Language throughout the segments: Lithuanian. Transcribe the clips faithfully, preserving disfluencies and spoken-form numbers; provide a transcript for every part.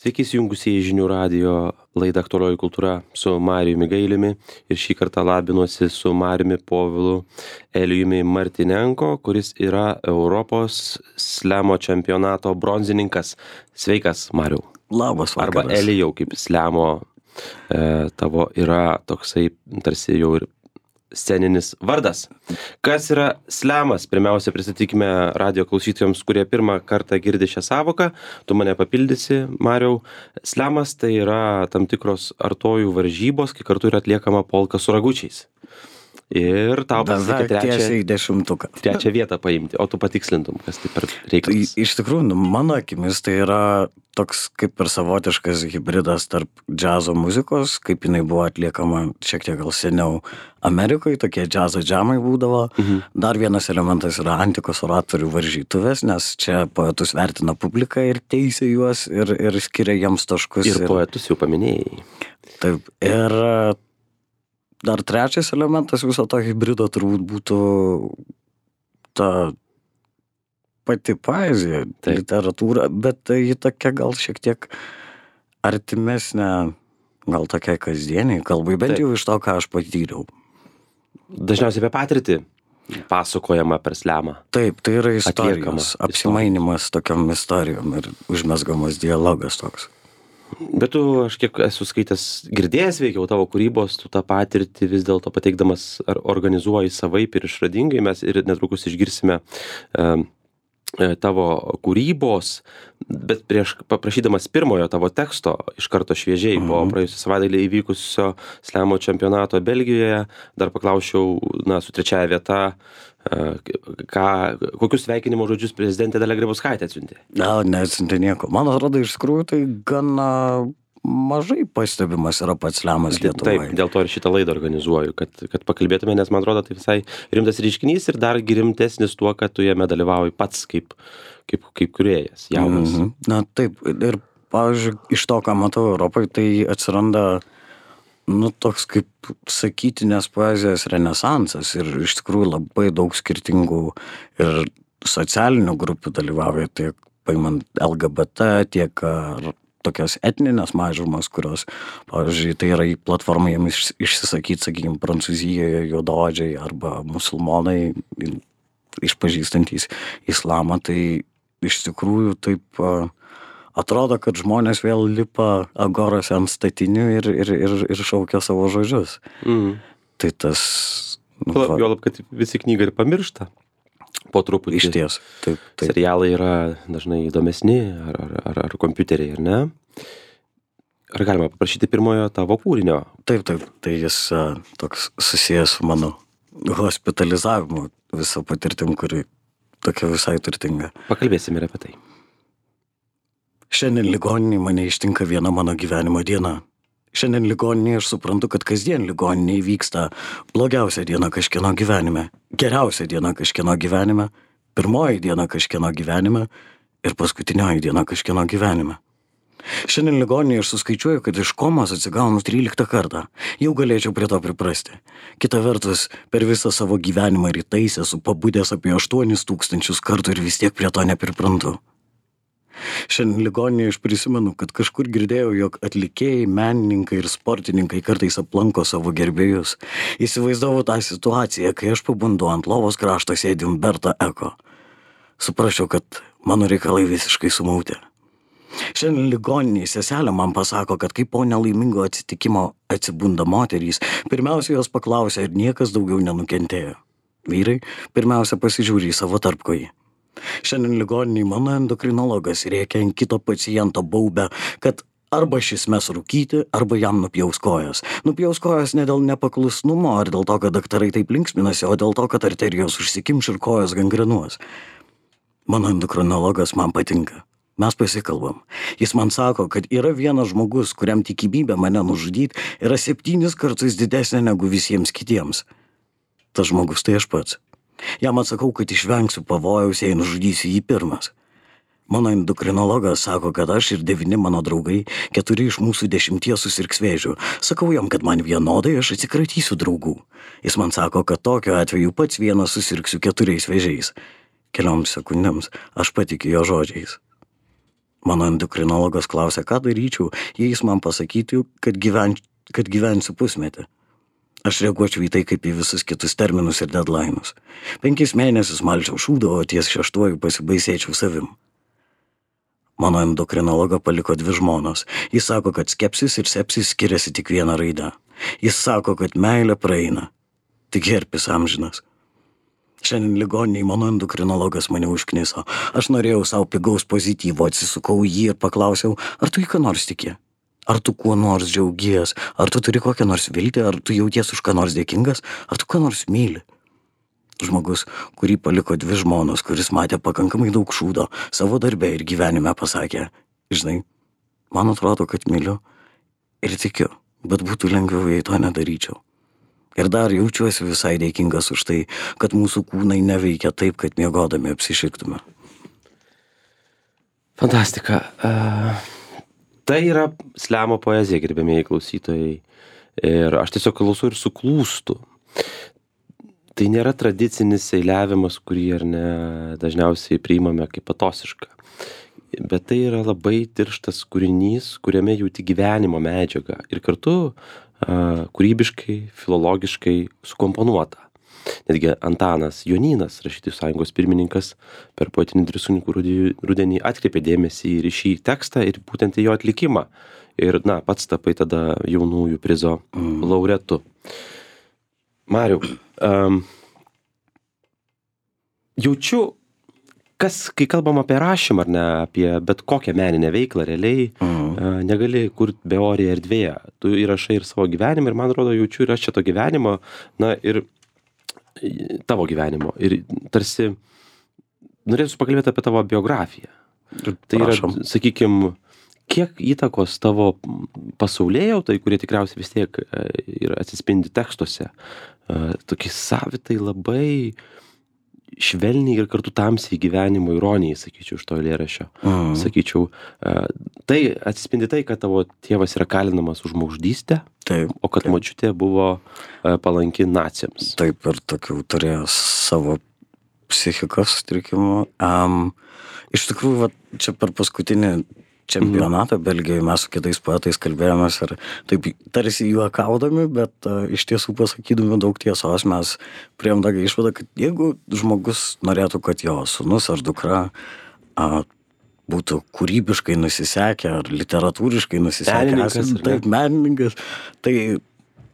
Sveiki įsijungusieji žinių radijo laidą Aktualioji kultūra su Marijumi Gailiumi ir šį kartą labinuosi su Marijumi Povilu Elijumi Martynenko, kuris yra Europos slemo čempionato bronzininkas. Sveikas, Marijau. Labas vakaras. Arba Elijau, kaip slemo e, tavo yra toksai tarsi jau ir sceninis vardas. Kas yra slemas? Pirmiausia, pristatykime radijo klausytojams, kurie pirmą kartą girdi šią savoką. Tu mane papildysi, Mariau. Slemas tai yra tam tikros artojų varžybos, kai kartu yra atliekama polka su ragučiais. Ir tau pasisekė trečią, trečią vietą paimti, o tu patikslintum, kas tai per reikalas. Tai iš tikrųjų, nu, mano akimis tai yra toks kaip ir savotiškas hybridas tarp džiazo muzikos, kaip jinai buvo atliekama šiek tiek gal seniau Amerikoje, tokie džiazo džamai būdavo. Mhm. Dar vienas elementas yra antikos oratorių varžytuvės, nes čia poetus vertina publika ir teisia juos ir, ir skiria jiems taškus. Ir, ir poetus jau paminėjai. Taip, ir dar trečias elementas viso to hybrido turbūt būtų ta pati poezija, Taip. literatūra, bet tai ji tokia gal šiek tiek artimesnė, gal tokia kasdieniai kalbai, bent Taip. jau iš to, ką aš patyriau. Dažniausiai apie patirtį pasakojama per slemą. Taip, tai yra Atliekama istorijos, apsimainimas tokiam istorijom ir užmesgamas dialogas toks. Bet tu, aš kiek esu skaitęs, girdėjęs veikiau tavo kūrybos, tu tą patirtį vis dėlto pateikdamas ar organizuoji savaip ir išradingai. Mes ir netrukus išgirsime e, tavo kūrybos, bet prieš paprašydamas pirmojo tavo teksto iš karto šviežiai po praėjusią savaitgalį įvykusio slemo čempionato Belgijoje, dar paklausčiau, na, su trečiaja vieta, ką, kokius sveikinimo žodžius prezidentė Dalia Grybauskaitė atsiuntė? Na, neatsiuntė nieko. Man atrodo, iš tikrųjų tai gana mažai pastebimas yra pats slemas Lietuvoje. Taip, dėl to ir šitą laidą organizuoju, kad, kad pakalbėtume, nes man atrodo, tai visai rimtas reiškinys ir dar rimtesnis tuo, kad tu jame dalyvauji pats kaip, kaip, kaip kūrėjas, jaunas. Mhm. Na taip, ir pavyzdžiui, iš to, ką matau Europoje, tai atsiranda nu, toks kaip sakytinės poezijos renesansas ir iš tikrųjų labai daug skirtingų ir socialinių grupių dalyvauja, tiek paimant L G B T, tiek ar tokios etninės mažumas, kurios, pavyzdžiui, tai yra į platformą jiems išsisakyti, sakykime, Prancūzijoje juodaodžiai arba musulmonai išpažįstantys islamą, tai iš tikrųjų taip atrodo, kad žmonės vėl lipa agorose ant statinių ir, ir, ir, ir šaukia savo žodžius. Mm. Tai tas... Nu, Juolab, kad visi knygą ir pamiršta po truputį. Iš ties. Taip, taip. Serialai yra dažnai įdomesni, ar, ar, ar, ar kompiuteriai, ar ne? Ar galima paprašyti pirmojo tavo kūrinio? Taip, taip. Tai jis a, toks susijęs su mano hospitalizavimu visą patirtim, kuri tokia visai turtinga. Pakalbėsime ir apie tai. Šiandien ligoninėje mane ištinka viena mano gyvenimo diena. Šiandien ligoninėje aš suprantu, kad kasdien ligoninėje vyksta blogiausia diena kažkieno gyvenime, geriausia diena kažkieno gyvenime, pirmoji diena kažkieno gyvenime ir paskutinioji diena kažkieno gyvenime. Šiandien ligoninėje aš suskaičiuoju, kad iš komos atsigaunu tryliktą kartą. Jau galėčiau prie to priprasti. Kita vertus, per visą savo gyvenimą rytais esu pabudęs apie aštuonis tūkstančius kartų ir vis tiek prie to nepriprantu. Šiandien ligoninėje aš prisimenu, kad kažkur girdėjau, jog atlikėjai, menininkai ir sportininkai kartais aplanko savo gerbėjus. Įsivaizdavau tą situaciją, kai aš pabundu ant lovos krašto sėdi Umberto Eko. Suprasčiau, kad mano reikalai visiškai sumauti. Šiandien ligoninėje seselė man pasako, kad kai po nelaimingo atsitikimo atsibunda moterys, pirmiausia jos paklausia, ar niekas daugiau nenukentėjo. Vyrai pirmiausia pasižiūri į savo tarpkojį. Šiandien ligoninėje mano endokrinologas rėkia ant kito paciento baubę, kad arba šis mes rūkyti, arba jam nupjaus kojas. Nupjaus kojas ne dėl nepaklusnumo, ar dėl to, kad daktarai taip linksminasi, o dėl to, kad arterijos užsikimš ir kojas gangrenuos. Mano endokrinologas man patinka. Mes pasikalbam. Jis man sako, kad yra vienas žmogus, kuriam tikimybė mane nužudyti yra septynis kartus didesnė negu visiems kitiems. Tas žmogus tai aš pats. Jam atsakau, kad išvengsiu pavojaus, jei nužudysiu jį pirmas. Mano endokrinologas sako, kad aš ir devyni mano draugai, keturi iš mūsų dešimties susirgs vėžiu. Sakau jam, kad man vienodai aš atsikratysiu draugų. Jis man sako, kad tokiu atveju pats vienas susirgsiu keturiais vėžiais. Kelioms sekundėms aš patikiu jo žodžiais. Mano endokrinologas klausė, ką daryčiau, jei jis man pasakytų, kad, gyven, kad gyvensiu pusmetį. Aš reaguočiau į tai kaip į visus kitus terminus ir deadline'us. Penkis mėnesius malčiau šūdą, o ties šeštuoju pasibaisėčiau savim. Mano endokrinologą paliko dvi žmonos. Jis sako, kad skepsis ir sepsis skiriasi tik vieną raidę. Jis sako, kad meilė praeina. Tik herpes amžinas. Šiandien ligoniniai mano endokrinologas mane užkniso. Aš norėjau savo pigaus pozityvo, atsisukau į jį ir paklausiau, ar tu į ką nors tiki? Ar tu kuo nors džiaugies? Ar tu turi kokią nors viltį? Ar tu jauties už ką nors dėkingas? Ar tu ką nors myli? Žmogus, kurį paliko dvi žmonos, kuris matė pakankamai daug šūdo savo darbe ir gyvenime, pasakė, žinai, man atrodo, kad myliu ir tikiu, bet būtų lengviau, jei to nedaryčiau. Ir dar jaučiuosi visai dėkingas už tai, kad mūsų kūnai neveikia taip, kad miegodami apsišiktume. Fantastika. Uh, tai yra slemo poezija, gerbėmieji klausytojai. Ir aš tiesiog klausau ir suklūstu. Tai nėra tradicinis eiliavimas, kurį ar ne dažniausiai priimame kaip patosišką. Bet tai yra labai tirštas kūrinys, kuriame jauti gyvenimo medžiagą. Ir kartu kūrybiškai, filologiškai sukomponuota. Netgi Antanas Jonynas, Rašytojų sąjungos pirmininkas, per poetinį Drisūnikų rudenį atkreipė dėmesį ir į šį tekstą ir būtent į jo atlikimą. Ir, na, pats tapai tada jaunųjų prizo laureatu. Mariau, um, jaučiu, kas, kai kalbam apie rašymą, ar ne, apie bet kokią meninę veiklą, realiai Mhm. uh, negali kurti beorėje erdvėje. Tu įrašai ir savo gyvenimą ir man atrodo, jaučiu ir aš čia to gyvenimo, na ir tavo gyvenimo. Ir tarsi norėsiu pakalbėti apie tavo biografiją. Tai yra, Prašom. sakykim, kiek įtakos tavo pasaulėjautai, kurie tikriausiai vis tiek e, ir atsispindi tekstuose, e, tokie savitai labai švelniai ir kartu tamsiai gyvenimo ironijai, sakyčiau, iš to eilėraščio. Mhm. Sakyčiau, e, tai atsispindi tai, kad tavo tėvas yra kalinamas už žmogžudystę, Taip, o kad taip. močiutė buvo e, palanki naciams. Taip, ir tokių turėjo savo psichikos sutrikimų. Um, iš tikrųjų, va, čia per paskutinį čempionatą Belgijoje mes su kitais poetais kalbėjomės ir taip tarsi juokaudami, bet uh, iš tiesų pasakydami daug tiesos mes priėjom tokią išvadą, kad jeigu žmogus norėtų, kad jo sūnus ar dukra uh, būtų kūrybiškai nusisekę ar literatūriškai nusisekę, Menininkas, esant- ar ne? taip, menininkas, tai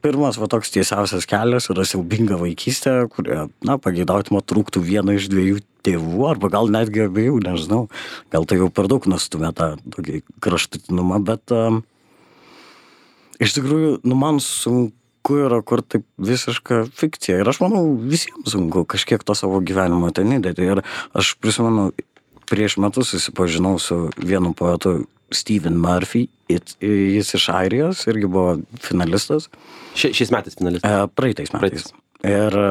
pirmas va toks tiesiausias kelias yra siaubinga vaikystė, kurie, na, pageidautima trūktų vieno iš dviejų tėvų, arba gal netgi abiejų, nežinau, gal tai jau per daug nustumė tą tokį kraštutinumą, bet um, iš tikrųjų, nu, man sunku yra kur taip visiška fikcija ir aš manau visiems sunku kažkiek to savo gyvenimo ten įdėti ir aš prisimenu, prieš metus susipažinau su vienu poetu Stephen Murphy, It- jis iš Airijos, irgi buvo finalistas. Šia, šiais metais finalistas. E, praeitais metais. Praeitais. Ir e,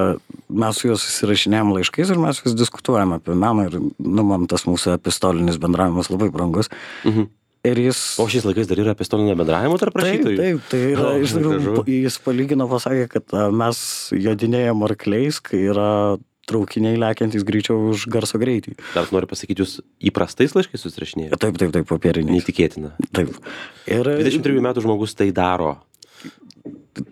mes su juo susirašinėjom laiškais ir mes vis diskutuojam apie meną ir, nu, man tas mūsų epistolinis bendravimas labai brangus. Mhm. Ir jis... O šiais laikais dar yra epistolinio bendravimo tarp Taip, rašytojų? taip, tai yra, O, iš tikrųjų, gražu. jis palygino, pasakė, kad a, mes jodinėjom arkliais, kai yra traukiniai lekiantys greičiau už garso greitį. Dar noriu pasakyti, jūs įprastais laiškais susirašinėjate? Taip, taip, taip, popieriniais. Neįtikėtina. Taip. Ir dvidešimt trijų metų žmogus tai daro.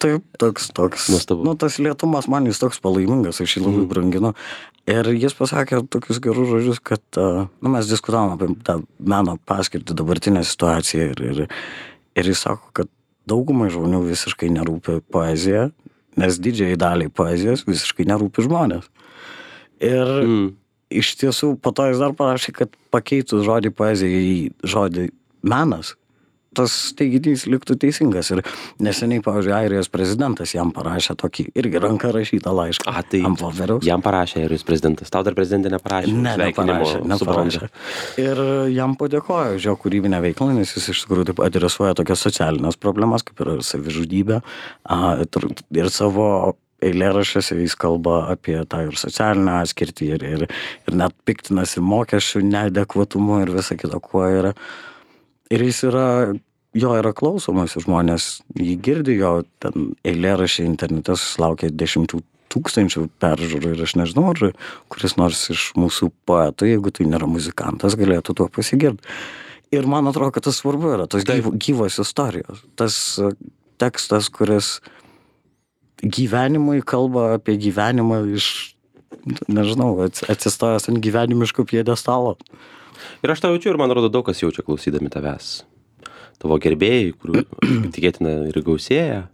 taip, toks, toks. Nuostabu. Nu, tas lėtumas man jis toks palaimingas, aš jį labai branginu. Ir jis pasakė tokius gerus žodžius, kad, a, nu, mes diskutavom apie tą meno paskirtį, dabartinę situaciją ir, ir, ir jis sako, kad daugumai žmonių visiškai nerūpi poezija, nes didžiai daliai poezijos visiškai nerūpi žmonės. Ir Mm. iš tiesų, po to jis dar parašė, kad pakeitus žodį poezija į žodį menas, tas teiginys liktų teisingas. Ir neseniai, pavyzdžiui, Airijos prezidentas jam parašė tokį irgi ranka rašytą laišką. A, tai ant popieriaus. jam parašė Airijos prezidentas. Tau dar prezidentė neparašė. Ne, Sveikinimo neparašė, su neparašė. branda. Ir jam padėkojo už jo kūrybinę veiklą, nes jis iš tikrųjų taip adresuoja tokias socialinės problemas, kaip yra savižudybė. a, ir- Ir savo eilėraščiuose jis kalba apie tą ir socialinę atskirtį, ir, ir, ir net piktinasi mokesčių neadekvatumu ir visa kita, kuo yra. Ir jis yra, jo yra klausomas, ir žmonės jį girdi, jo ten eilėraščiai internete susilaukia dešimtų tūkstančių peržiūrų ir aš nežinau, ar kuris nors iš mūsų poetų, jeigu tai nėra muzikantas, galėtų tuo pasigirti. Ir man atrodo, kad tas svarbu yra, tos Taip. gyvo, gyvos istorijos. Tas uh, tekstas, kuris gyvenimui kalba apie gyvenimą iš, nežinau, ats- atsistojęs ant gyvenimiško pjedestalo. Ir aš tą jaučiu ir man rodo daug kas jaučia klausydami tavęs. Tavo gerbėjai, kurių tikėtina ir gausėja.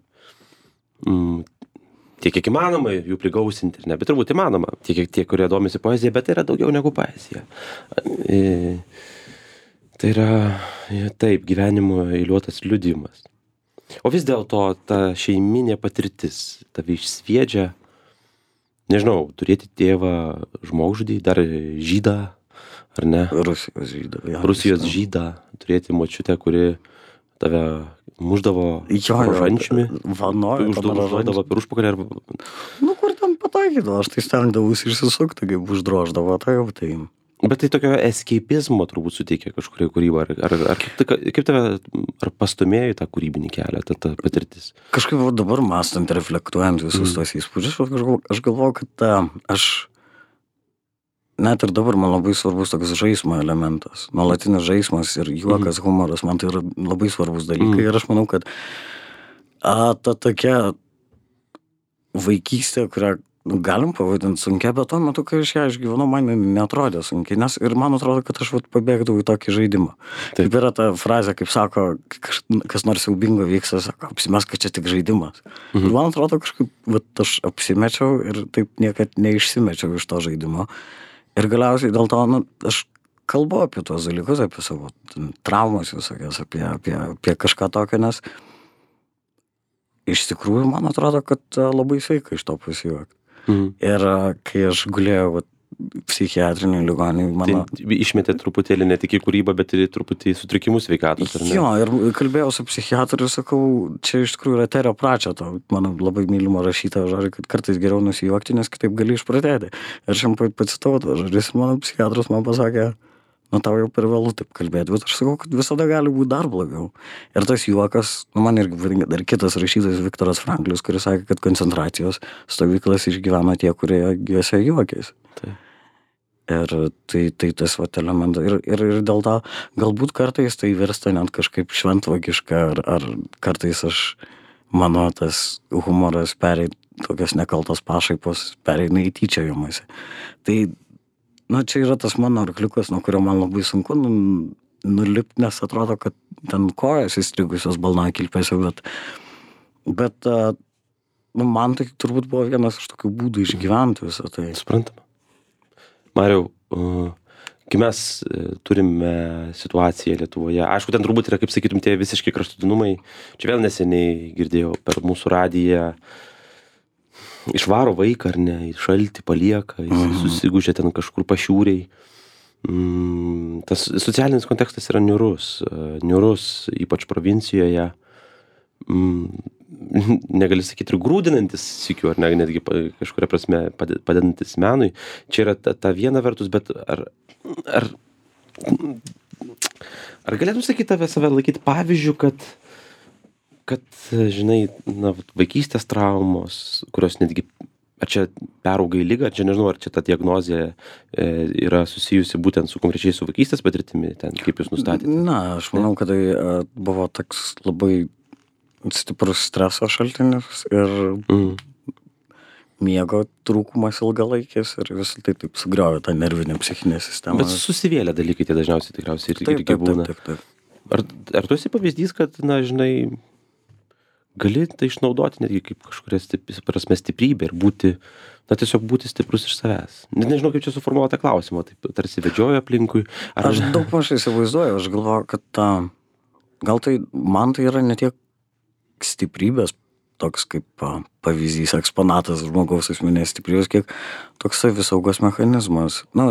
Mm, tiek, kiek įmanoma jų prigausinti, ir ne, bet turbūt įmanoma. Tiek, kiek tie, kurie domisi poezija, bet tai yra daugiau negu poezija. E, tai yra, e, taip, gyvenimo eiliuotas liudijimas. O vis dėlto ta šeiminė patirtis tave išsviedžia, nežinau, turėti tėvą žmogžudį, dar žydą, ar ne? Rusijos žydą. Ja, Rusijos žinau. žydą, turėti močiutę, kuri tave muždavo Jo, jo, rožančiumi, vanojo, užduodavo per užpakalį arba... Nu, kur ten pataikydavo, aš tai stengdavausi išsisukti, kaip uždroždavo, tai jau tai. Bet tai tokio eskeipizmo turbūt suteikia kažkuria kūryba, ar, ar, ar kaip, ta- kaip tave, ar pastumėjo į tą kūrybinį kelią, ta, ta patirtis? Kažkaip va dabar mąstant, reflektuojant visus Mhm. tos įspūdžius, aš galvoju, aš galvoju, kad a, aš net ir dabar man labai svarbus toks žaismo elementas, nuolatinis žaismas ir juokas, humoras, man tai yra labai svarbus dalykai Mhm. ir aš manau, kad a, ta tokia vaikystė, kurią nu, galim pavadinti sunkia, bet tuo metu, kai aš ją išgyvenau, man jinai neatrodė sunkiai, nes ir man atrodo, kad aš vat, pabėgdavau į tokį žaidimą. Taip. Kaip yra ta frazė, kaip sako, kaž, kas nors siaubingo vyksta, sako, apsimes, kad čia tik žaidimas. Mhm. Ir man atrodo, kažkaip vat, aš apsimečiau ir taip niekad neišsimečiau iš to žaidimo. Ir galiausiai dėl to, nu, aš kalbu apie tuos dalykus, apie savo ten, traumas visokias, apie, apie, apie kažką tokio, nes iš tikrųjų man atrodo, kad a, labai sveika iš to pasijuokti. Mhm. Ir a, kai aš gulėjau vat, psichiatrinėj ligoninėj, mano... Tai išmetė truputėlį ne tik į kūrybą, bet ir į truputį sutrikimus sveikatos, ar ne? Jo, ir kalbėjau su psichiatru ir sakau, čia iš tikrųjų yra Terio Pračeto, mano labai mylimo rašytojo žodžiai, kad kartais geriau nusijuokti, nes kitaip gali išprotėti. Ir aš jam pa- pacitavau tą žodžius ir mano psichiatras man pasakė, nu tau jau per vėlu taip kalbėti, bet aš sakau, kad visada gali būti dar blogiau. Ir tas juokas, nu man irgi patinka dar kitas rašytojas Viktoras Franklis, kuris sakė, kad koncentracijos stovyklas išgyvena tie, kurie juose juokėsi. Taip. Ir tai, tai tas vat elementas. Ir, ir, ir dėl to galbūt kartais tai virsta net kažkaip šventvagiška, ar, ar kartais aš, mano tas humoras pereit, tokios nekaltos pašaipos pereina į tyčiojimąsi. Tai, na, čia yra tas mano arkliukas, nuo kurio man labai sunku nu, nulipti, nes atrodo, kad ten kojas įstrigusios balnakilpėse, bet, bet a, nu, man tai turbūt buvo vienas iš tokių būdų išgyventi visą tai. Suprantama. Mariau, uh, kai mes uh, turime situaciją Lietuvoje, aišku, ten turbūt yra, kaip sakytum, tie visiškai kraštutinumai. Čia vėl neseniai girdėjau per mūsų radiją, išvaro vaiką ar ne, į šaltį palieka, jis Mhm. susigūžia ten kažkur pašiūriai. Mm, tas socialinis kontekstas yra niurus, uh, niurus, ypač provincijoje. Mm, negali sakyti ir grūdinantis sykiu, ar ne, netgi pa- kažkuria prasme pade- padedantis menui. Čia yra ta, ta viena vertus, bet ar, ar, ar galėtum sakyti tave save laikyti pavyzdžių, kad, kad, žinai, na, vat, vaikystės traumos, kurios netgi, ar čia perauga į ligą, ar čia nežinau, ar čia ta diagnozė e, yra susijusi būtent su konkrečiai su vaikystės patirtimi, ten kaip jūs nustatėte? Na, aš manau, kad tai a, buvo toks labai stiprus streso šaltinis ir Mm. miego trūkumas ilgalaikis ir visą tai taip sugriovė tą nervinę psichinę sistemą. Bet susivėlę dalykai tie dažniausiai tikriausiai ir, taip, irgi taip, būna. taip, taip, taip. Ar, ar tu esi pavyzdys, kad, na, žinai, gali tai išnaudoti netgi kaip kažkuria stip- prasme stiprybė ir būti, na, tiesiog būti stiprus iš savęs? Net nežinau, kaip čia suformuoti tą klausimą, taip tarsi vedžioja aplinkui. Ar... Aš daug maž įsivaizduoju, aš galvoju, kad ta, gal tai, man tai yra ne tiek stiprybės, toks kaip a, pavyzdys, eksponatas žmogaus asmenės stiprybės, kiek toks savisaugos mechanizmas, na,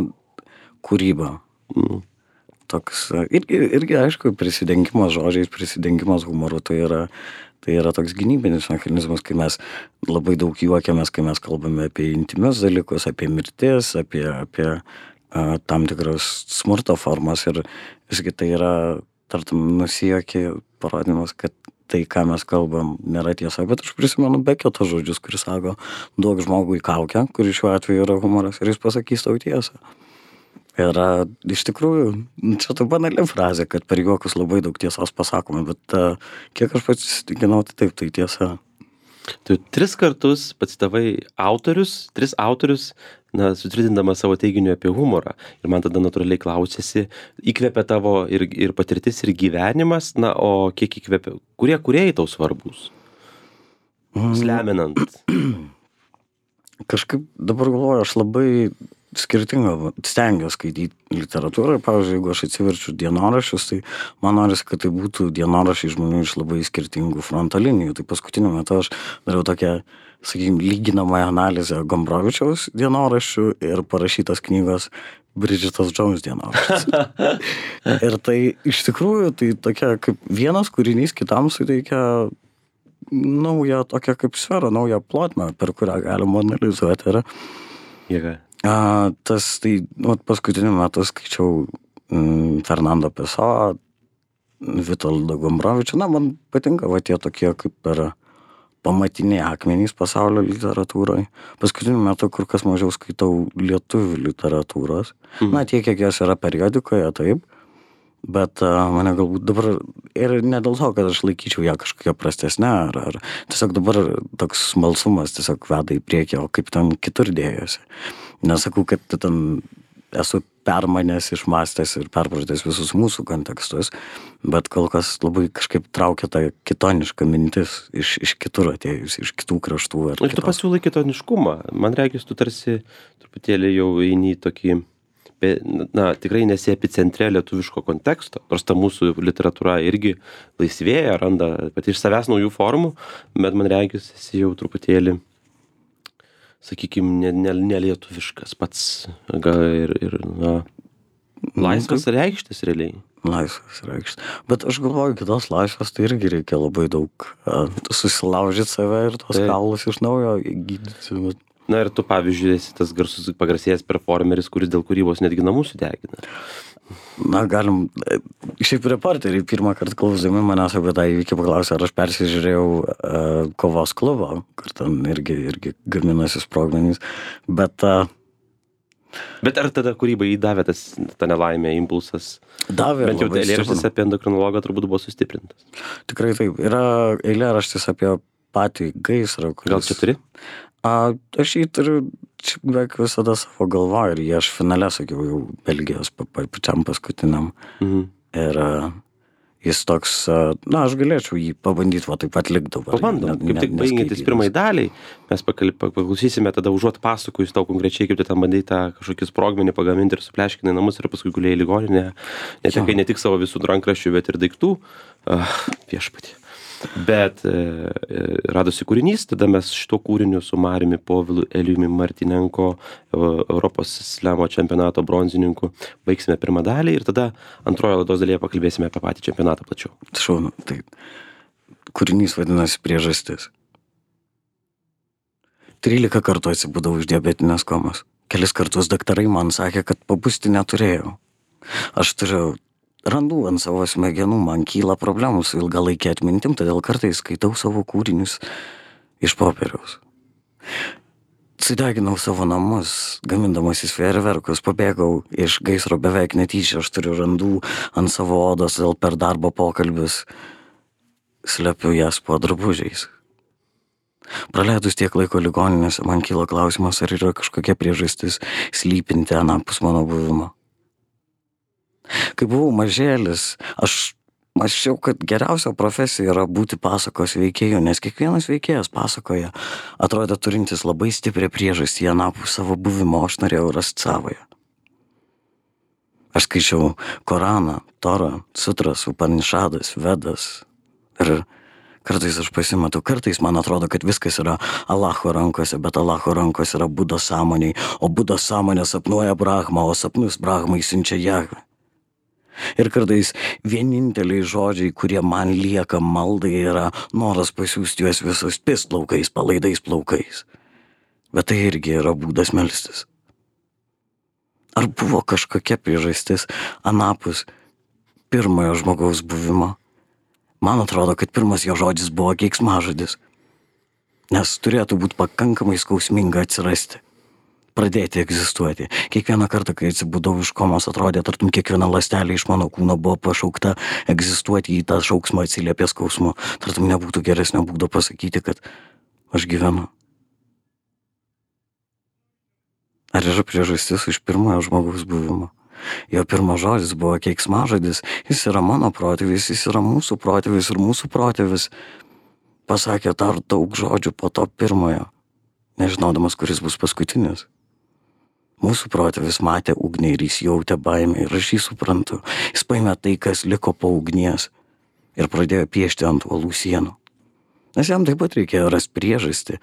kūryba. Mm. Toks, a, irgi, irgi aišku, prisidengimas žodžiais, prisidengimas humoru, tai yra, tai yra toks gynybinis mechanizmas, kai mes labai daug juokiamės, kai mes kalbame apie intimius dalykus, apie mirtis, apie, apie a, tam tikras smurto formas ir visgi tai yra, tartum, nusijuokė parodimas, kad tai, ką mes kalbam, nėra tiesa, bet aš prisimenu Beketo žodžius, kuris sako, duok žmogui kaukę, kuris šiuo atveju yra humoras, ir jis pasakys tau tiesą. Ir a, iš tikrųjų, čia tai banali frazė, kad per juokus labai daug tiesos pasakome, bet a, kiek aš pats įsitikinau, tai taip, tai tiesa. Tu tris kartus pacitavai autorius, tris autorius, na, sutvirtindamas savo teiginiu apie humorą. Ir man tada natūraliai klausėsi, įkvepia tavo ir, ir patirtis, ir gyvenimas, na, o kiek įkvepia, kurie kūrėjai tau svarbus? Sleminant. Kažkaip dabar galvoju, aš labai skirtingą stengiuosi skaityti literatūrą. Pavyzdžiui, jeigu aš atsiverčiu dienoraščius, tai man norisi, kad tai būtų dienoraščiai žmonių iš labai skirtingų fronto linijų. Tai paskutiniu metu aš dariau tokią, sakykime, lyginamąją analizę Gombrovičiaus dienoraščių ir parašytos knygos Bridgetos Jones dienoraščius. Ir tai iš tikrųjų tai tokia kaip vienas kūrinys kitam suteikia naują tokią kaip sferą, naują plotmę, per kurią galima analizuoti. Ir Jėga. A, tas, tai, nu, paskutiniu metu skaičiau mm, Fernando Pessoa, Vitoldo Gombrovičio. Na, man patinka va tie tokie kaip ir pamatiniai akmenys pasaulio literatūroje. Paskutiniu metu kur kas mažiau skaitau lietuvių literatūros. Mhm. Na, tiek, kiek jos yra periodikoje, taip. Bet a, mane galbūt dabar, ir ne dėl to, kad aš laikyčiau ją kažkokią prastesnę, ar, ar tiesiog dabar toks smalsumas tiesiog veda į priekį, o kaip ten kitur dėjosi. Nesakau, kad ten esu permanęs, išmastęs ir perpratęs visus mūsų kontekstus, bet kol kas labai kažkaip traukia tą kitonišką mintis iš, iš kitur atėjus, iš kitų kraštų. Ir tu pasiūlai kitoniškumą. Man reikės, tu tarsi truputėlį jau eini į tokį, na, tikrai nesi epicentre lietuviško konteksto, nors ta mūsų literatūra irgi laisvėja, randa pati iš savęs naujų formų, bet man reikės, esi jau truputėlį, sakykime, ne, ne, nelietuviškas pats, gal ir, ir na, laisvas reikštis realiai. Laisvas reikštis. Bet aš galvoju, kitos laisvės tai irgi reikia labai daug uh, susilaužyti save ir tos tai kaulus iš naujo gydyti. Bet... Na ir tu, pavyzdžiui, esi tas garsus pagarsėjęs performeris, kuris dėl kūrybos netgi namus sudegina. Na, galim, šiaip reporteriai pirmą kartą klausdami manęs apie tą įvykį paklausė, ar aš persižiūrėjau uh, kovos klubą, kur ten irgi, irgi gaminasi sprogmenys, bet... Uh, bet ar tada kūrybai įdavė tas, ta nelaimė, impulsas? Davė. Bent jau eilėraštis apie endokrinologą turbūt buvo sustiprintas. Tikrai taip. Yra eilėraštis apie patį gaisrą. Kuris... Gal čia turi? A, aš jį turiu beveik visada savo galvoje ir jį aš finale sakiau jau Belgijos pačiam paskutiniam. Mhm. Ir a, jis toks, a, na, aš galėčiau jį pabandyti, va taip atlikti dabar. Pabandom, kaip tik baigiantis pirmai daliai, mes paklausysime tada užuot pasakojus tau konkrečiai, kaip tu ten bandai tą kažkokį sprogmenį pagaminti ir supleškinai namus ir paskui gulėjai į ligoninę, netekai ne tik savo visų rankraščių, bet ir daiktų. Uh, viešpatie. Bet e, radosi kūrinys, tada mes šito kūriniu su Mariumi Povilu Elijumi Martinenko, Europos slemo čempionato bronzininku, baigsime pirmą dalį ir tada antrojo laidos dalyje pakalbėsime apie patį čempionatą plačiau. Šaunu, taip. Kūrinys vadinasi Priežastis. trylika kartų atsibudau iš diabetinės komos. Kelis kartus daktarai man sakė, kad pabusti neturėjau. Aš turiu Randu ant savo smegenų, man kyla problemų su ilgalaikė atmintim, todėl kartais skaitau savo kūrinius iš popieriaus. Sudeginau savo namus, gamindamasis fejerverkus, pabėgau iš gaisro beveik netyčia, aš turiu randų ant savo odos, dėl per darbo pokalbius slepiu jas po drabužiais. Praleidus tiek laiko ligoninėse, man kyla klausimas, ar yra kažkokia priežastis slypinti anapus mano buvimo. Kai buvau mažėlis, aš mąsčiau, kad geriausia profesija yra būti pasakos veikėju, nes kiekvienas veikėjas pasakoja atrodė turintis labai stiprią priežastį anapus savo buvimo, aš norėjau rasti savoje. Aš skaičiau Koraną, Torą, Sutras, Upanišadas, Vedas ir kartais aš pasimetu, kartais man atrodo, kad viskas yra Allaho rankose, bet Allaho rankose yra Budos sąmoniai, o Budos sąmonė sapnuoja Brahmą, o sapnus Brahmai siunčia Jahvę. Ir kartais vieninteliai žodžiai, kurie man lieka maldai, yra noras pasiųsti juos visus pisplaukais, palaidais plaukais. Bet tai irgi yra būdas melstis. Ar buvo kažkokia priežastis anapus pirmojo žmogaus buvimo? Man atrodo, kad pirmas jo žodis buvo keiksmažodis, nes turėtų būti pakankamai skausminga atsirasti. pradėti egzistuoti. Kiekvieną kartą, kai atsibudau iš komos, atrodė, tartum kiekviena ląstelė iš mano kūno buvo pašaukta egzistuoti, į tą šauksmą atsiliepė skausmu. Tartum nebūtų geresnio būdo pasakyti, kad aš gyvenu. Ar yra priežastis iš pirmojo žmogaus buvimo? Jo pirmas žodis buvo keiksmažodis, jis yra mano protėvis, jis yra mūsų protėvis ir mūsų protėvis pasakė dar daug žodžių po to pirmojo, nežinodamas, kuris bus paskutinis. Mūsų protėvis matė ugnį ir jis jautė baimę ir aš jį suprantu. Jis paėmė tai, kas liko po ugnies ir pradėjo piešti ant uolų sienų. Nes jam taip pat reikėjo rasti priežastį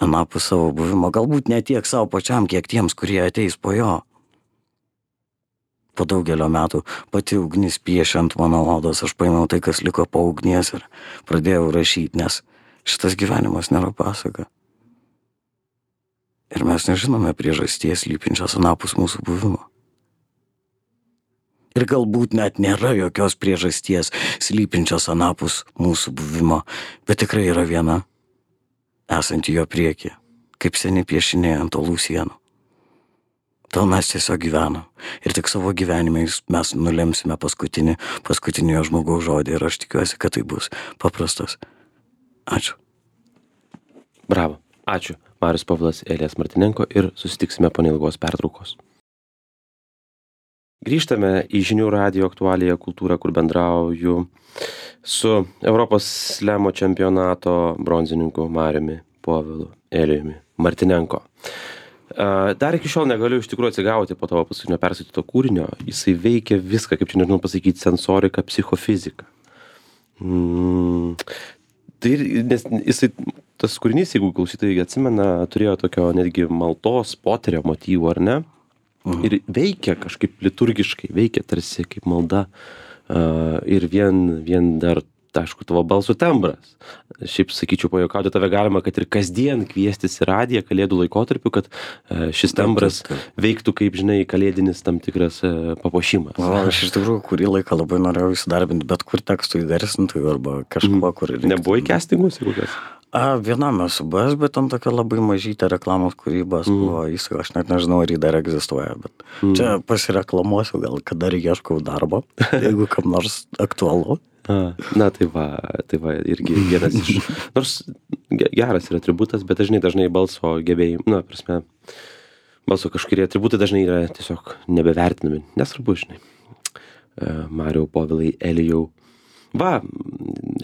anapus savo buvimo, galbūt ne tiek savo pačiam, kiek tiems, kurie ateis po jo. Po daugelio metų pati ugnis piešė ant mano odos, aš paėmiau tai, kas liko po ugnies ir pradėjau rašyti, nes šitas gyvenimas nėra pasaka. Ir mes nežinome priežasties slypinčios anapus mūsų buvimo. Ir galbūt net nėra jokios priežasties slypinčios anapus mūsų buvimo, bet tikrai yra viena, esanti jo prieky, kaip seni piešiniai ant uolų sienų. Tol mes tiesiog gyvenam. Ir tik savo gyvenimais mes nulemsime paskutinį, paskutinį jo žmogaus žodį. Ir aš tikiuosi, kad tai bus paprastas. Ačiū. Bravo. Ačiū. Marius Povilas, Elijas Martinenko ir susitiksime po neilgos pertraukos. Grįžtame į žinių radijo aktualiją kultūrą, kur bendrauju su Europos slemo čempionato bronzininku Mariumi Povilu, Elijumi Martinenko. Dar iki šiol negaliu iš tikrųjų atsigauti po tavo paskutinio perskaityto kūrinio. Jisai veikia viską, kaip čia nežinau pasakyti, sensoriką, psichofiziką. Mm, tai, nes jisai, tas kūrinys, jeigu klausytojai atsimena, turėjo tokio netgi maldos, poterio motyvų, ar ne? Mhm. Ir veikia kažkaip liturgiškai, veikia tarsi kaip malda. Uh, ir vien, vien dar, aišku, tavo balsų tembras. Šiaip sakyčiau, pajuokauti tave galima, kad ir kasdien kviestis į radiją kalėdų laikotarpiu, kad uh, šis tembras veiktų kaip, žinai, kalėdinis tam tikras uh, papuošimas. O, aš iš tikrųjų kurį laiką labai norėjau įsidarbinti, bet kur tekstų įgarsintų arba kažkuo, mm. kur reiktų. Nebuvo į castingus, jeigu kas? A, vienam esu buvęs, bet ten tokia labai mažytė reklamos kūrybos mm. buvo įsai, aš net nežinau, ar jį dar egzistuoja, bet mm. čia pasireklamuosiu, gal kada dar ieškau darbo, jeigu kam nors aktualu. A, na tai va, tai va, irgi vienas iš, nors geras yra atributas, bet dažnai, dažnai balso gebėjimai, na, prasme, balso kažkurie atributai dažnai yra tiesiog nebevertinami, nesvarbu, žinai. Mariau, Povilai, Elijau. Va,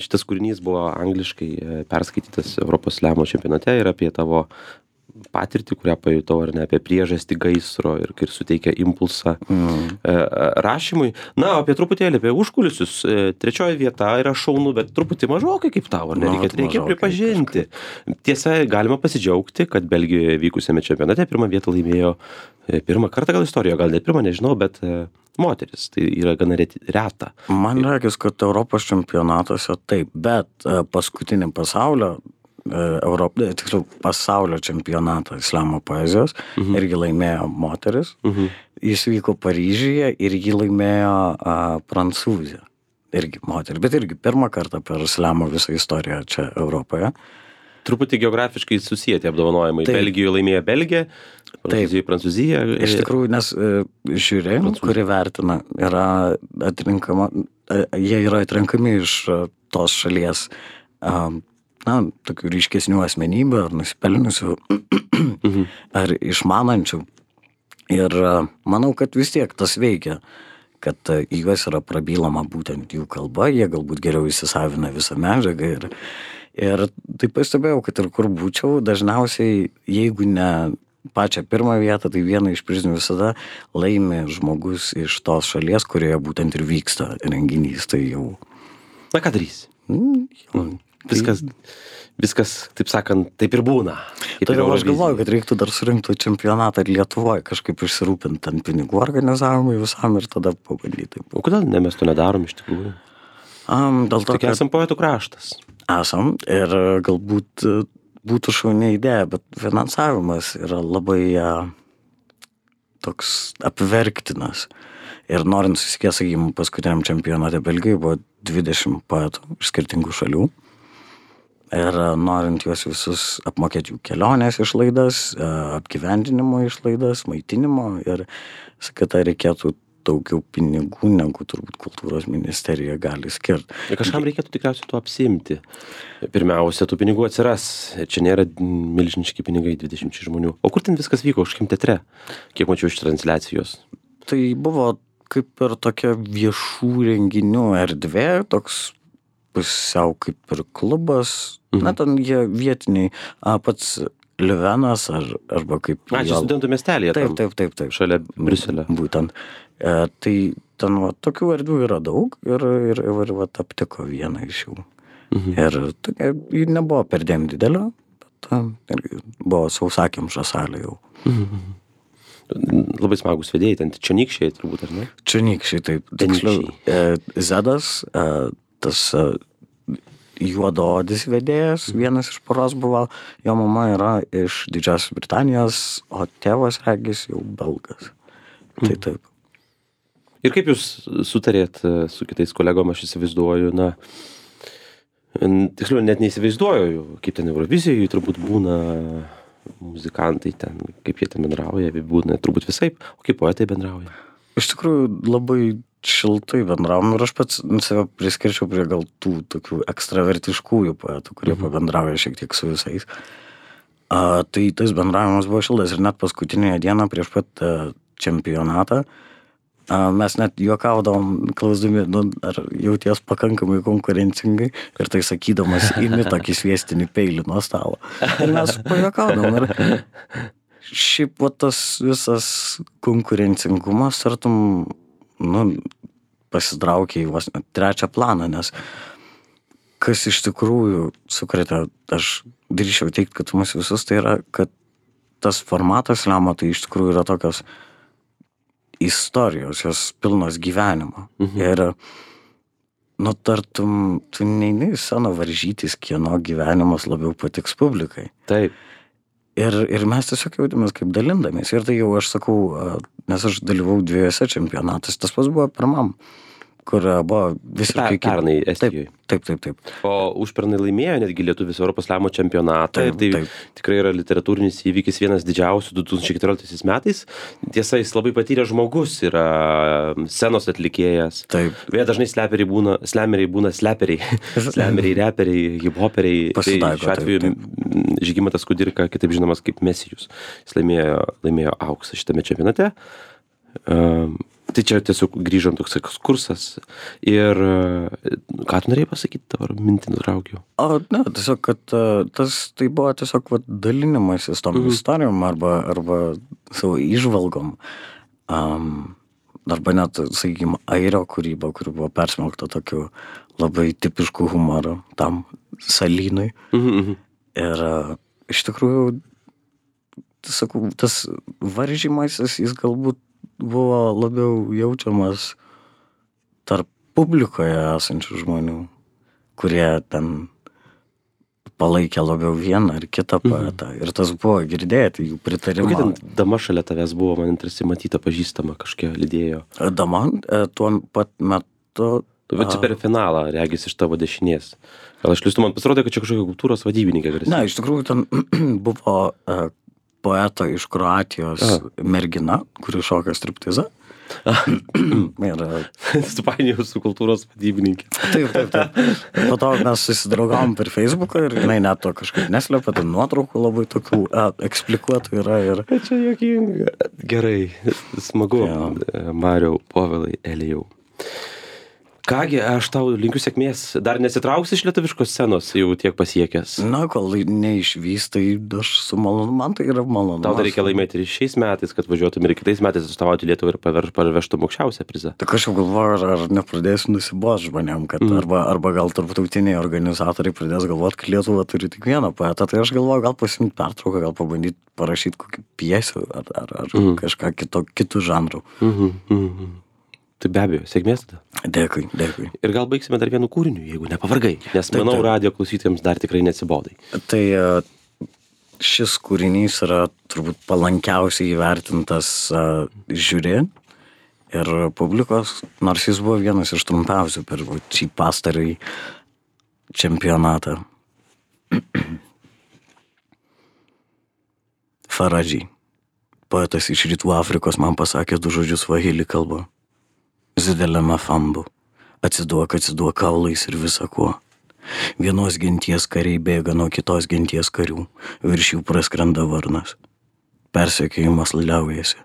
šitas kūrinys buvo angliškai perskaitytas Europos slemo čempionate ir apie tavo patirtį, kurią pajutau, ar ne, apie priežastį gaisro ir kai suteikia impulsą mm. rašymui. Na, apie truputėlį, apie užkulisius. Trečioji vieta yra šaunu, bet truputį mažokai kaip tau, ar ne? Reikia, reikia pripažinti. Kažkaip. Tiesa, galima pasidžiaugti, kad Belgijoje vykusiame čempionate pirmą vietą laimėjo pirmą kartą gal istorijoje, gal net pirmą, nežinau, bet moteris. Tai yra gana reta. Man regis, kad Europos čempionatuose taip, bet paskutinį pasaulio Europą, tiksliau pasaulio čempionatą slemo poezijos, mhm. irgi laimėjo moteris. Mhm. Jis vyko Paryžiuje ir jį laimėjo a, Prancūzija. Irgi moteris, bet irgi pirmą kartą per slemo visą istoriją čia Europoje. Truputį geografiškai susiję tie apdovanojimai. Taip. Belgijoje laimėjo Belgija, Prancūzijoje Prancūzija. Iš tikrųjų, nes žiūri, kuri vertina, yra atrinkama, jie yra atrenkami iš tos šalies na, tokių ryškesnių asmenybių ar nusipelniusių mhm. ar išmanančių. Ir manau, kad vis tiek tas veikia, kad į juos yra prabylama būtent jų kalba, jie galbūt geriau įsisavina visą medžiagą. Ir, ir taip pastebėjau, kad ir kur būčiau, dažniausiai, jeigu ne pačią pirmą vietą, tai vieną iš prizinių visada laimi žmogus iš tos šalies, kurioje būtent ir vyksta renginys. Tai jau... Na, ką darysi? Mm, jau... Viskas, viskas, taip sakant, taip ir būna. Todėl aš galvoju, kad reiktų dar surinkti čempionatą ir Lietuvoje, kažkaip išsirūpinti ant pinigų organizavimui visam ir tada pabandyti. O kodėl ne, mes to nedarom iš tikrųjų? Um, dėl to, Tik esam poetų kraštas. Esam ir galbūt būtų šaunia idėja, bet finansavimas yra labai uh, toks apverktinas. Ir norint susikės, sakykime, paskutiniam čempionate Belgijoje buvo dvidešimt poetų iš skirtingų šalių. ir norint juos visus apmokėti jų kelionės išlaidas, apgyvendinimo išlaidas, maitinimo ir kad tai reikėtų daugiau pinigų, negu turbūt kultūros ministerija gali skirti. Ir kažkam reikėtų tikriausiai tuo apsiimti. Pirmiausia, tų pinigų atsiras. Čia nėra milžiniški pinigai dvidešimčiai žmonių. O kur ten viskas vyko? Kažkokiam teatre? Kiek mačiau iš transliacijos? Tai buvo kaip ir tokia viešų renginių erdvė, toks pusiau kaip ir klubas. Mhm. Na, ten jie vietiniai, a, pats Liuvenas ar, arba kaip... A, čia studentų miestelėje. Taip, taip, taip, taip. Šalia Briuselio. Būtent. E, tai ten va, tokių erdvių yra daug ir, ir, ir va, aptiko vieną iš jų. Mhm. Ir tokia, ji nebuvo perdėm didelio, bet buvo sausakimša salė jau. Mhm. Labai smagus vedėjai, ten čionykščiai turbūt, ar ne? Čionykščiai, taip. Tiksliau, e, Zedas, e, tas... E, juodaodis vedėjas, vienas iš poros buvo, jo mama yra iš Didžiosios Britanijos, o tėvas regis jau belgas. Tai taip. Ir kaip jūs sutarėt su kitais kolegom, aš įsivaizduoju, na, tiksliau, net neįsivaizduoju, kaip ten Eurovizijoj turbūt būna muzikantai ten, kaip jie ten bendrauja, būna turbūt visaip, o kaip poetai bendrauja? Iš tikrųjų, labai šiltai bendravom ir aš pats save priskirčiau prie gal tų tokių ekstravertiškųjų poetų, kurie mhm. pabendrauja šiek tiek su visais. A, tai tas bendravimas buvo šiltas ir net paskutinėje dieną prieš pat a, čempionatą a, mes net juokaudavom, klausdami, nu, ar jauties pakankamai konkurencingai ir tai sakydamas imi tokį sviestinį peilį nuo stalo. Ir mes pajuokaudavom ir šiaip va tas visas konkurencingumas, tartum, nu, pasitraukė į vos trečią planą, nes kas iš tikrųjų sukrėtė, aš drįsčiau teikti, kad mus visus tai yra, kad tas formatas Slemo tai iš tikrųjų yra tokios istorijos, jos pilnos gyvenimo. Mhm. Ir, nu, tartum, tu neini į sceną varžytis, kieno gyvenimas labiau patiks publikai. Taip. Ir, ir mes tiesiog jautėmės kaip dalindamės. Ir tai jau aš sakau, nes aš dalyvau dviejose čempionatus, tas pas buvo pirmam, kur buvo visiškai... Pernai Estijoje. Taip, taip, taip, taip. O užpernai laimėjo netgi lietuvis Europos Slemo čempionatą. Taip, ir tai taip. Tikrai yra literatūrinis įvykis vienas didžiausių du tūkstančiai keturioliktaisiais metais. Tiesa, jis labai patyręs žmogus, yra scenos atlikėjas. Taip. Vėja dažnai sleperiai būna, slemeriai būna sleperiai, slemeriai, reperiai, hiphoperiai. Pasitaiko, tai šiuo atveju taip, taip. Žygimantas Kudirka, kitaip žinomas kaip Mesijus. Jis laimėjo, laimėjo auksą šitame čempionate. Um, tai čia tiesiog grįžom toks ekskursas. Ir ką tu norėjai pasakyti, dabar mintį nutraukiau? O, ne, tiesiog, kad tas tai buvo tiesiog va, dalinimasis tom mhm. istorijom arba, arba savo įžvalgom. Um, arba net, sakykime, airio kūryba, kuri buvo persmelkta tokiu labai tipišku humoru tam salynui. Mhm. Ir uh, iš tikrųjų, sakau, tas varžymasis, jis galbūt buvo labiau jaučiamas tarp publikoje esančių žmonių, kurie ten palaikė labiau vieną ar kitą poetą. Mhm. Ir tas buvo girdėti, jų pritarimą. Kokia ten dama šalia tavęs buvo, man tarsi matyta pažįstama, kažkiek lydėjo? Dama tuo pat metu... Tu esi per finalą, regis iš tavo dešinės. Gal aš listu, man pasirodė, kad čia kažkokia kultūros vadybininkė garsi. Ne, iš tikrųjų ten buvo uh, poeto iš Kroatijos A. mergina, kuri šoka striptizą. Ir supainiojau su kultūros vadybininkė. Taip, taip, taip. Po to mes susidraugavom per Facebooką ir jinai net to kažkaip neslepia, tai nuotraukų labai tokių a, eksplikuotų yra. Ir... Čia juokinga. Gerai, smagu. Ja. Mariau, Povilai, Elijau. Kągi, aš tau linkiu sėkmės. Dar nesitrauksi iš lietuviškos scenos, jau tiek pasiekęs? Na, kol neišvys, tai aš su malonu, man tai yra malonu. Tau dar reikia laimėti ir šiais metais, kad važiuotum ir kitais metais atstovauti Lietuvą ir paver, parvežtum aukščiausią prizą. Tak aš jau galvoju, ar, ar nepradėsiu nusibos žmonėm, kad mm. arba, arba gal tarptautiniai organizatoriai pradės galvoti, kad Lietuva turi tik vieną poetą. Tai aš galvoju, gal pasimti pertrauką, gal pabandyti parašyti kokį pjesę ar, ar, ar mm. kažką kito, kitų žanrų. Mm-hmm, mm-hmm. Tai be abejo, sėkmės tada. Dėkui, dėkui. Ir gal baigsime dar vienu kūriniu, jeigu nepavargai, nes taip, manau, taip. Radio klausytėms dar tikrai neatsibodai. Tai šis kūrinys yra turbūt palankiausiai įvertintas uh, žiūri ir publikos, nors jis buvo vienas iš trumpiausių per šį pastarąjį čempionatą. Faradžiai. Poetas iš Rytų Afrikos man pasakė du žodžius svahili kalba. Zidelema fambu. Atsiduok, atsiduok kaulais ir visa kuo. Vienos genties kariai bėga nuo kitos genties karių. Virš jų praskrenda varnas. Persekiojimas liaujasi.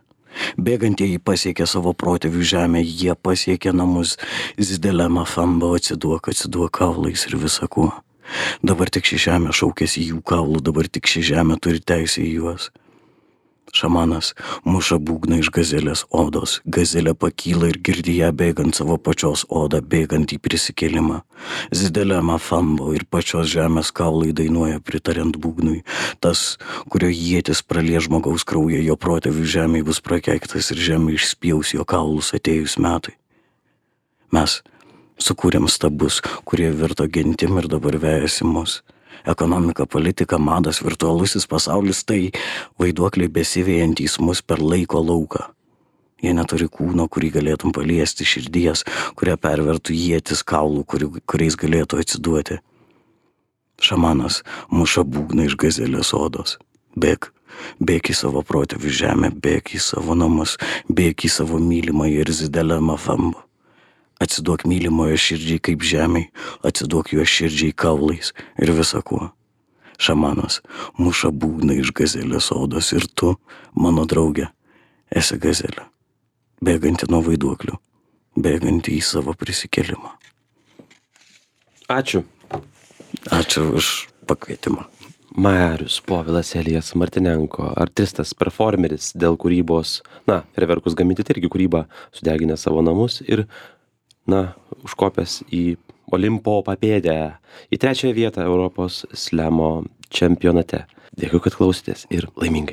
Bėgantieji pasiekė savo protėvių žemę, jie pasiekė namus. Zidelema fambu. Atsiduok, atsiduok kaulais ir visa kuo. Dabar tik ši žemė šaukėsi jų kaulų, dabar tik ši žemė turi teisę į juos. Šamanas muša būgną iš gazelės odos. Gazelė pakyla ir girdi ją bėgant savo pačios odą, bėgant į prisikėlimą. Zidelema fambo ir pačios žemės kaulai dainuoja pritariant būgnui. Tas, kurio ietis pralie žmogaus kraują, jo protėvių žemė bus prakeiktas ir žemė išspjaus jo kaulus atėjus metai. Mes sukūrėm stabus, kurie virto gentim ir dabar vejasi mus. Ekonomika, politika, madas, virtualusis pasaulis - tai vaiduokliai besivėjantys mus per laiko lauką. Jie neturi kūno, kurį galėtum paliesti, širdies, kurią pervertų ietis kaulų, kuri, kuriais galėtų atsiduoti. Šamanas muša būgną iš gazelės odos. Bėk, bėk į savo protėvių žemę, bėk į savo namus, bėk į savo mylimą ir zidelema fambu. Atsiduok mylimojo širdžiai kaip žemiai, atsiduok jo širdžiai kaulais ir visa kuo. Šamanas muša būgną iš gazelės odos ir tu, mano draugė, esi gazelė, bėganti nuo vaiduoklių, bėganti į savo prisikėlimą. Ačiū. Ačiū už pakvietimą. Marius Povilas Elijas Martinenko, artistas, performeris dėl kūrybos, na, fejerverkus gaminti tai irgi kūrybą, sudeginę savo namus ir na, užkopęs į Olimpo papėdę, į trečiąją vietą Europos slemo čempionate. Dėkui, kad klausėtės ir laimingai.